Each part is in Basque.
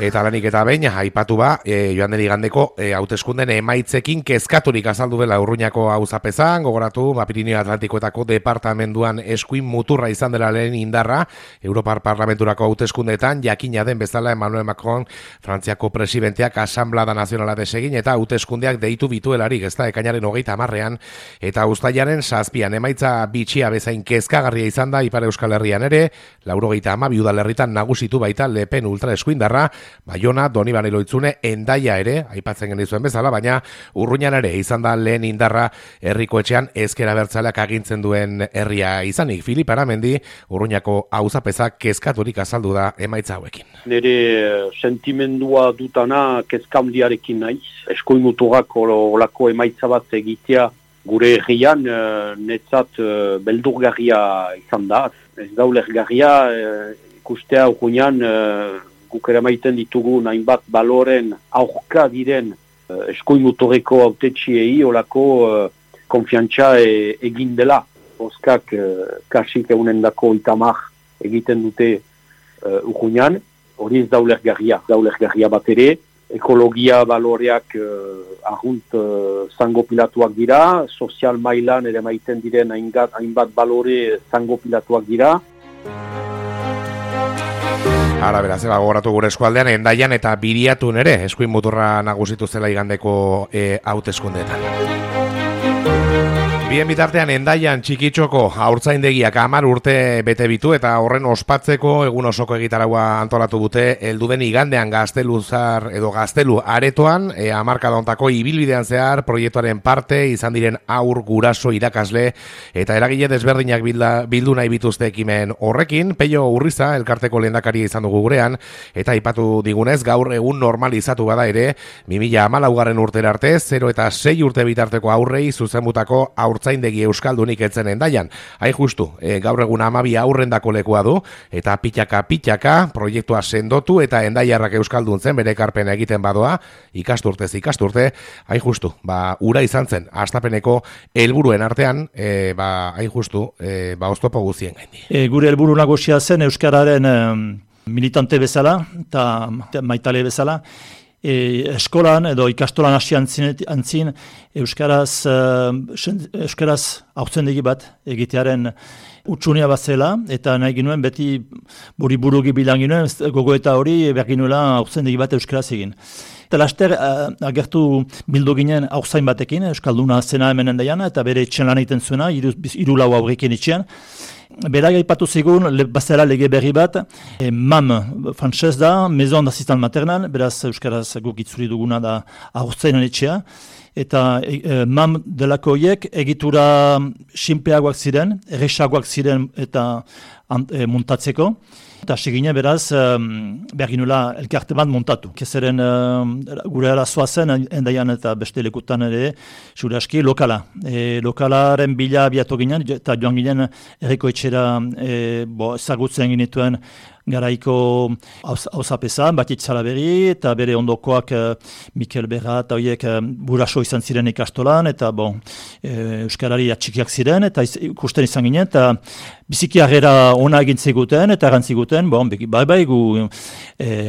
Eta lanik eta behin, aipatu joan den igandeko hauteskunden emaitzekin kezkaturik azaldu dela Urruñako auzapezan, gogoratu, Pirinio Atlantikoetako departamenduan eskuin muturra izan dela lehen indarra, Europar Parlamenturako hauteskundeetan, jakina den bezala Emmanuel Macron, Frantziako presidenteak asamblada nazionala desegin, eta hauteskundeak deitu bituelarik, ez da, ekainaren 30 eta uztailaren 7 emaitza bitxia bezain kezkagarria izan da Ipar Euskal Herrian ere, 92 udalerritan nagusitu baita Le Pen ultra eskuindarra, Baiona, Donibane Loitzune, Hendaia ere, aipatzen genizuen bezala, baina Urruñan ere izan da lehen indarra herriko etxean ezker abertzaleak agintzen duen herria izanik. Filip Aramendi, Urruñako auzapezak kezkaturik azaldu da emaitza hauekin. Nire sentimendua dutana kezka handiarekin naiz. Eskuin muturrak olako emaitza bat egitea gure herrian netzat beldurgarria izan da. Ez da ulergarria ikustea Urruñan guk ere maiten ditugu hainbat baloren aurka diren eskuin muturreko hautetsiei olako konfiantza egin dela. Oskak kasik egunendako 30 egiten dute Urruñan, hori ez da ulergarria bat ere. Ekologia baloreak arrunt zango pilatuak dira, sozial mailan ere maiten diren hainbat balore zango pilatuak dira. Ara beraz, gogoratu gure eskualdean, Hendaian eta Biriatun ere eskuin muturra nagusitu zela igandeko hauteskundeetan. Bien bitartean Hendaian Txikitxoko haurtzaindegiak 10 urte bete bitu eta horren ospatzeko egun osoko egitaraua antolatu dute helduden igandean Gaztelu aretoan, hamarkada hontako ibilbidean zehar proiektuaren parte izan diren haur guraso irakasle eta eragile desberdinak bildu nahi bituzte ekimen horrekin. Peio Urriza elkarteko lehendakaria izan dugu gurean eta aipatu digunez gaur egun normalizatu bada ere 2014 urtera arte 0 eta 6 urte bitarteko aurrei zuzenbutako haurtzaindegi euskaldunik etzen Hendaian. Hain justu, gaur egun 12 aurrendako lekua du, eta pitaka proiektua sendotu eta Hendaiarrak euskaldun zen bere ekarpena egiten badoa, ikasturtez ikasturte, hain justu, ura izan zen, hastapeneko helburuen artean, hain justu, oztopo guztien gaindi. Gure helburu nagusia zen euskararen militante bezala, eta maitale bezala, eskolan edo ikastolan hasi antzin euskaraz haurtzendegi bat egitearen utsunia bat zela, eta nahi ginuen beti buru bilan ginuen, gogoeta hori behar ginuela haurtzendegi bat euskaraz egin. Eta laster agertu bildu ginen haurtzain batekin, euskalduna zena hemen Hendaian, eta bere etxen lan egiten zuena, 3 aurrekin etxean. Berak aipatu zigun, bazela lege berri bat, MAM, frantzez da, Maison d'Assistant Maternal, beraz euskaraz guk itzuri duguna da haurtzainen etxea, eta MAM delako horiek egitura sinpleagoak ziren, erresagoak ziren eta montatzeko. Eta segine beraz, behar ginula elkarte bat montatu. Kezeren gure arazoa zen, Hendaian eta beste lekutan ere, zure aski, lokala. Lokalaren bila abiatu ginen, eta joan ginen herriko etxera ezagutzen ginituen garaiko auzapeza, Batit Salaberri, eta bere ondokoak Mikel Berra eta horiek buraso izan ziren ikastolan, eta euskarari atxikiak ziren, eta ikusten izan ginen, eta biziki harrera ona egin ziguten, eta erantziguten, gu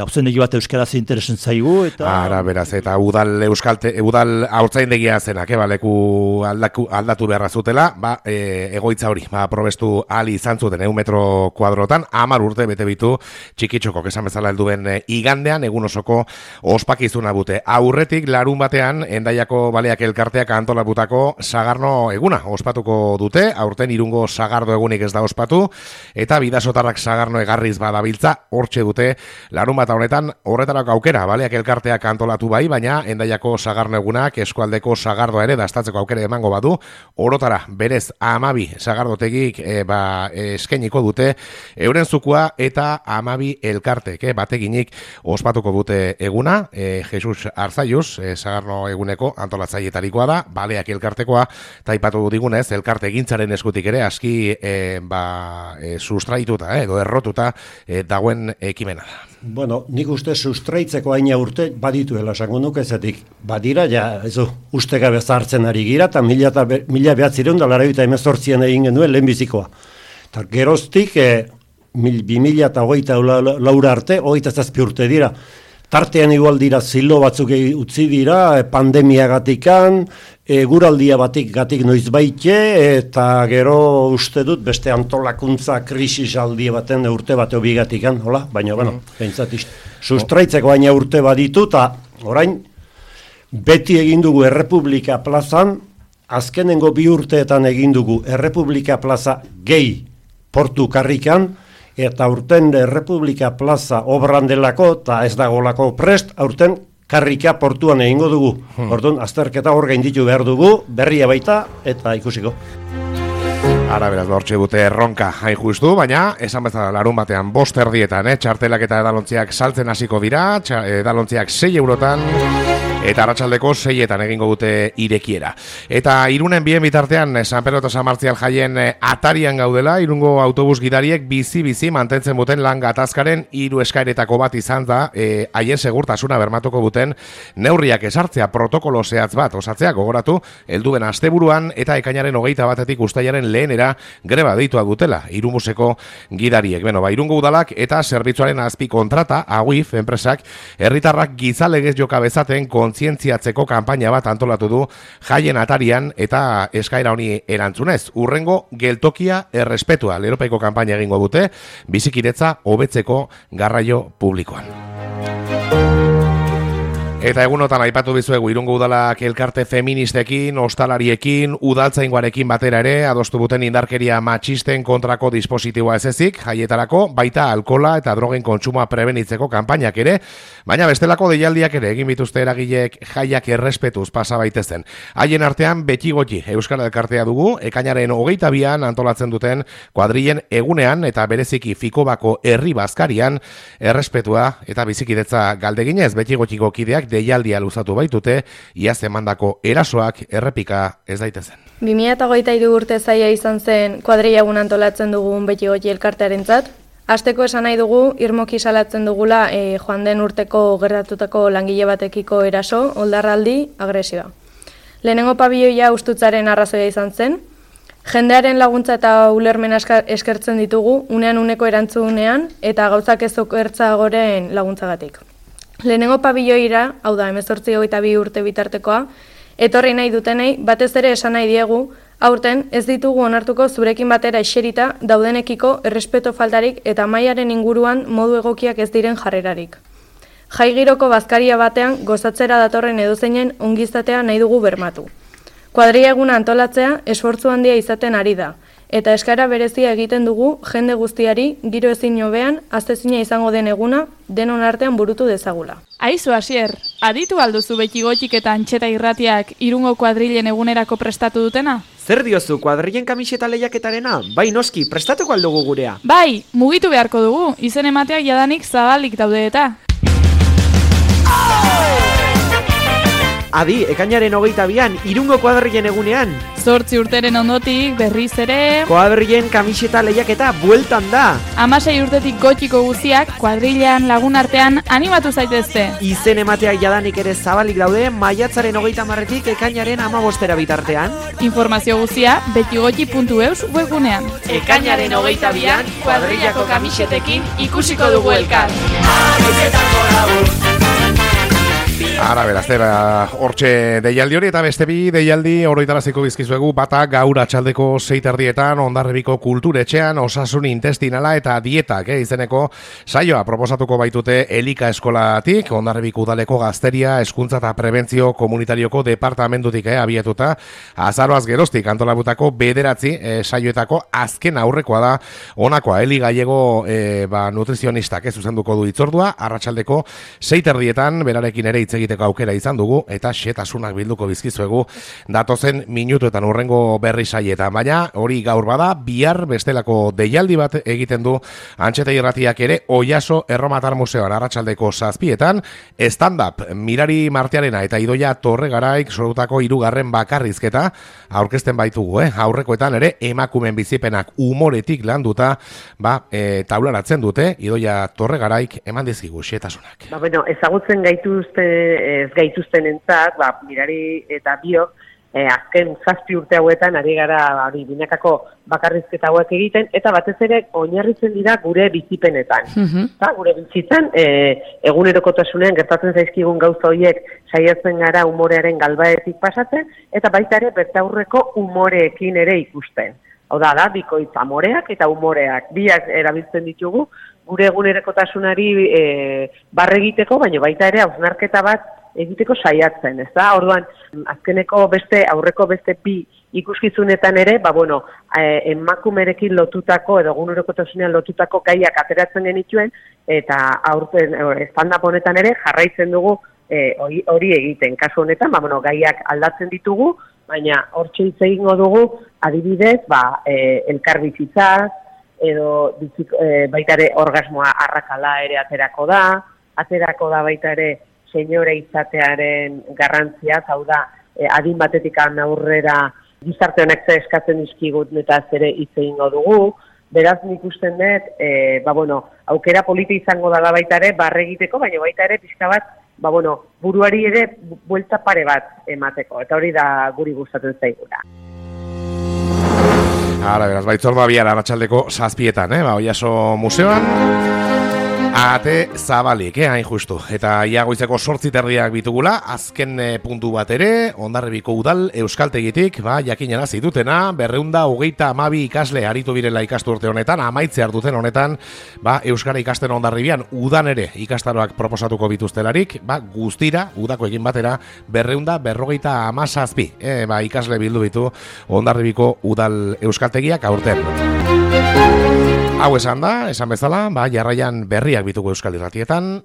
haurtzaindegi bat euskaraz interesen zaigu, eta... Ara, beraz, eta udal haurtzaindegia zenak, leku aldatu beharra zutela, egoitza hori, probestu ali izan zuten 1 metro kuadrotan, 10 urte bete bitu Txikitxoko, esan bezala helduen igandean, egun osoko ospakizuna bute. Aurretik, larun batean, Hendaiako baleak elkarteak antolabutako Sagarno eguna ospatuko dute, aurten Irungo Sagardo egunik ez da ospatu, eta bidasotarrak Sagarno egarriz badabiltza, hortxe dute, larun bat honetan, horretarako aukera, baleak elkarteak antolatu bai, baina Hendaiako Sagarno egunak eskualdeko Sagardoa ere dastatzeko aukera emango badu, orotara, berez, 12 Sagardotegik eskainiko dute, euren zukua eta 12 elkartek, bateginik ospatuko dute eguna, Jesus Arzaiuz, Sagarno eguneko antolatzailetarikoa da, baleak elkartekoa, eta aipatu digunez, elkarte egintzaren eskutik ere, aski sustraituta, edo errotuta dagoen ekimena da. Bueno, nik uste sustraitzeko aina urte badituela, esango nuke zetik. Badira, uste gabe zartzen ari gira, eta 1918 egin genuen lehenbizikoa. Eta geroztik, 2024 arte, 27 urte dira. tartean igual dira zilo batzuk utzi dira, pandemiagatikan, guraldia gatik noiz baite, eta gero uste dut beste antolakuntza krisisaldi baten urte bateo bigatikan, hola? Baina, bueno, sustraitzeko baina urte baditu, eta orain, beti egin dugu Errepublika plazan, azkenengo 2 urteetan egin dugu Errepublika plaza gehi portu karrikan, eta aurten Errepublika plaza obran delako, eta ez dagolako prest, aurten karrika portuan egingo dugu. Orduan, azterketa hor gainditu behar dugu, berria baita, eta ikusiko. Ara beraz, hortxe dute erronka hain justu, baina esan bezala larun batean 5 erdietan, txartelak eta edalontziak saltzen hasiko dira, edalontziak 6 eurotan, eta arratsaldeko 6etan egingo dute irekiera. Eta Irunen bien bitartean, San Pedro eta San Martzial jaien atarian gaudela, Irungo autobus gidariek bizi mantentzen duten lan gatazkaren 3 eskaeretako bat izan da, haien segurtasuna bermatuko duten neurriak esartzea, protokolo zehatz bat osatzea gogoratu, helduen asteburuan eta ekainaren 21 uztailaren lehenera greba deitua dutela Irumuseko gidariek. Irungo udalak eta zerbitzuaren azpi kontrata, AUIF enpresak, herritarrak gizalegez joka bezaten kontzientziatzeko kanpaina bat antolatu du jaien atarian eta eskaera honi erantzunez. Urrengo geltokia errespetua leropeiko kanpaina egingo dute, bizikiretza hobetzeko garraio publikoan. Eta egunotan aipatu bizuegu Irungo udalak elkarte feministekin, ostalariekin, udaltzaingoarekin batera ere, adostu buten indarkeria matxisten kontrako dispositiboa ez ezik, jaietarako, baita alkola eta drogen kontsumoa prebenitzeko kanpainak ere, baina bestelako deialdiak ere egin bituzte eragilek jaiak errespetuz pasa baitezen. Haien artean beti goti Euskal Elkartea dugu, ekainaren 22an antolatzen duten kuadrilen egunean eta bereziki Fikobako herri bazkarian errespetua eta bizikidetza galdeginez beti gotiko kideak deialdia luzatu baitute, iaz emandako erasoak errepika ez daitezen. 2023 urte zaila izan zen kuadrilla egun antolatzen dugun beti goti elkartearentzat. Hasteko esan nahi dugu, irmoki salatzen dugula joan den urteko gertatutako langile batekiko eraso, oldarraldi, agresioa. Lehenengo pabilloia ustutzaren arrazoia izan zen, jendearen laguntza eta ulermen eskertzen ditugu, unean uneko erantzunean eta gauzak ez okertzagoren laguntzagatik. Lehenengo pabilloira, hau da 18-22 urte bitartekoa, etorri nahi dutenei, batez ere esan nahi diegu, aurten ez ditugu onartuko zurekin batera eserita daudenekiko errespeto faltarik eta mailaren inguruan modu egokiak ez diren jarrerarik. Jai giroko bazkaria batean gozatzera datorren edozeinen ongizatea nahi dugu bermatu. Kuadrilla eguna antolatzea esfortzu handia izaten ari da, eta eskaera berezia egiten dugu jende guztiari giro ezin hobean aztezina izango den eguna denon artean burutu dezagula. Aizu Asier, aditu alduzu beti gotxik eta antxeta irratiak Irungo kuadrilen egunerako prestatu dutena? Zer diozu, kuadrilen kamiseta lehiaketarena? Bai noski, prestatuko aldugu gurea. Bai, mugitu beharko dugu, izen emateak jadanik zabalik daude eta. Adi, ekainaren 22an, Irungo kuadrilen egunean. 8 urteren ondotik, berriz ere... Kuadrilen kamiseta lehiaketa bueltan da. 16 urtetik gotxiko guztiak, kuadrilean lagun artean animatu zaitezte. Izen emateak jadanik ere zabalik daude, maiatzaren 30etik ekainaren 15 bitartean. Informazio guztia, betigotxi.eus webgunean. Ekainaren 22an, kuadrilako kamisetekin ikusiko dugu elkar. Ara beraztera, hortxe deialdi hori eta beste bi deialdi oroitaraziko bizkizuegu bata gaur atxaldeko 6 Hondarribiko kulturetxean osasun intestinala eta dietak izeneko saioa proposatuko baitute Elika Eskolatik, Hondarribiko udaleko gazteria, hezkuntza eta prebentzio komunitarioko departamentutik abiatuta, azaroaz geroztik antolabutako 9 saioetako azken aurrekoa da honakoa, Eli Gallego nutrizionistak zuzenduko du hitzordua, arratsaldeko 6 berarekin ere hitz egiteko aukera izan dugu eta xetasunak bilduko bizkizuegu datozen minutuetan urrengo berri saietan, baina hori gaur bada, bihar bestelako deialdi bat egiten du Antxeta irratiak ere Oiaso Erromatar Museoan arratsaldeko 7 stand-up Mirari Martiarena eta Idoia Torregaraik sortutako 3. bakarrizketa aurkezten baitugu, aurrekoetan ere emakumen bizipenak umoretik landuta taularatzen dute Idoia Torregaraik eman dizkigu xetasunak. Ezagutzen gaituzten entzat, Mirari eta biok, azken 7 urte hauetan ari gara binakako bakarrizketa hauek egiten, eta batez ere oinarritzen dira gure bizipenetan. Gure bizitzan, egunerokotasunean gertatzen zaizkigun gauza horiek saiatzen gara umorearen galbaetik pasatzen, eta baita ere bertaurreko umoreekin ere ikusten. Hau da, bikoitz amoreak eta umoreak. Biak erabiltzen ditugu, gure egunerokotasunari barregiteko, baina baita ere hausnarketa bat egiteko saiatzen, ez da? Orduan, aurreko beste bi ikuskizunetan ere, emakumerekin lotutako edo egunerokotasunean lotutako gaiak ateratzen genituen, eta aurten stand-up honetan ere jarraitzen dugu hori egiten. Kasu honetan, gaiak aldatzen ditugu, baina hortxe hitz egingo dugu, adibidez, elkarbizitzaz, edo baita ere orgasmoa arrakala ere aterako da baita ere senyore izatearen garrantzia, hau da, adin batetik aurrera gizarte honek ze eskatzen dizkigut eta ere hitz egingo dugu. Beraz, nik usten dut, aukera politi izango dela baita ere, barregiteko, baina baita ere pixka bat, buruari ere buelta pare bat emateko, eta hori da guri gustatzen zaiguna. Ara, beraz, baitzorba bihar arratsaldeko 7:00, Oiaso museoan. Ate zabalik, hain justu. Eta iagoizeko 8:30 bitugula, azken puntu bat ere, Hondarribiko udal euskaltegitik, jakinera zitutena, 232 ikasle aritu birela ikastu urte honetan, amaitze hartuten honetan, euskara ikasten Hondarribian, udan ere ikastaroak proposatuko bituztelarik, guztira, udako egin batera, 257 ikasle bildu bitu Hondarribiko udal euskaltegiak aurten. Hau esan da, esan bezala, jarraian berriak bituko Euskal Irratietan.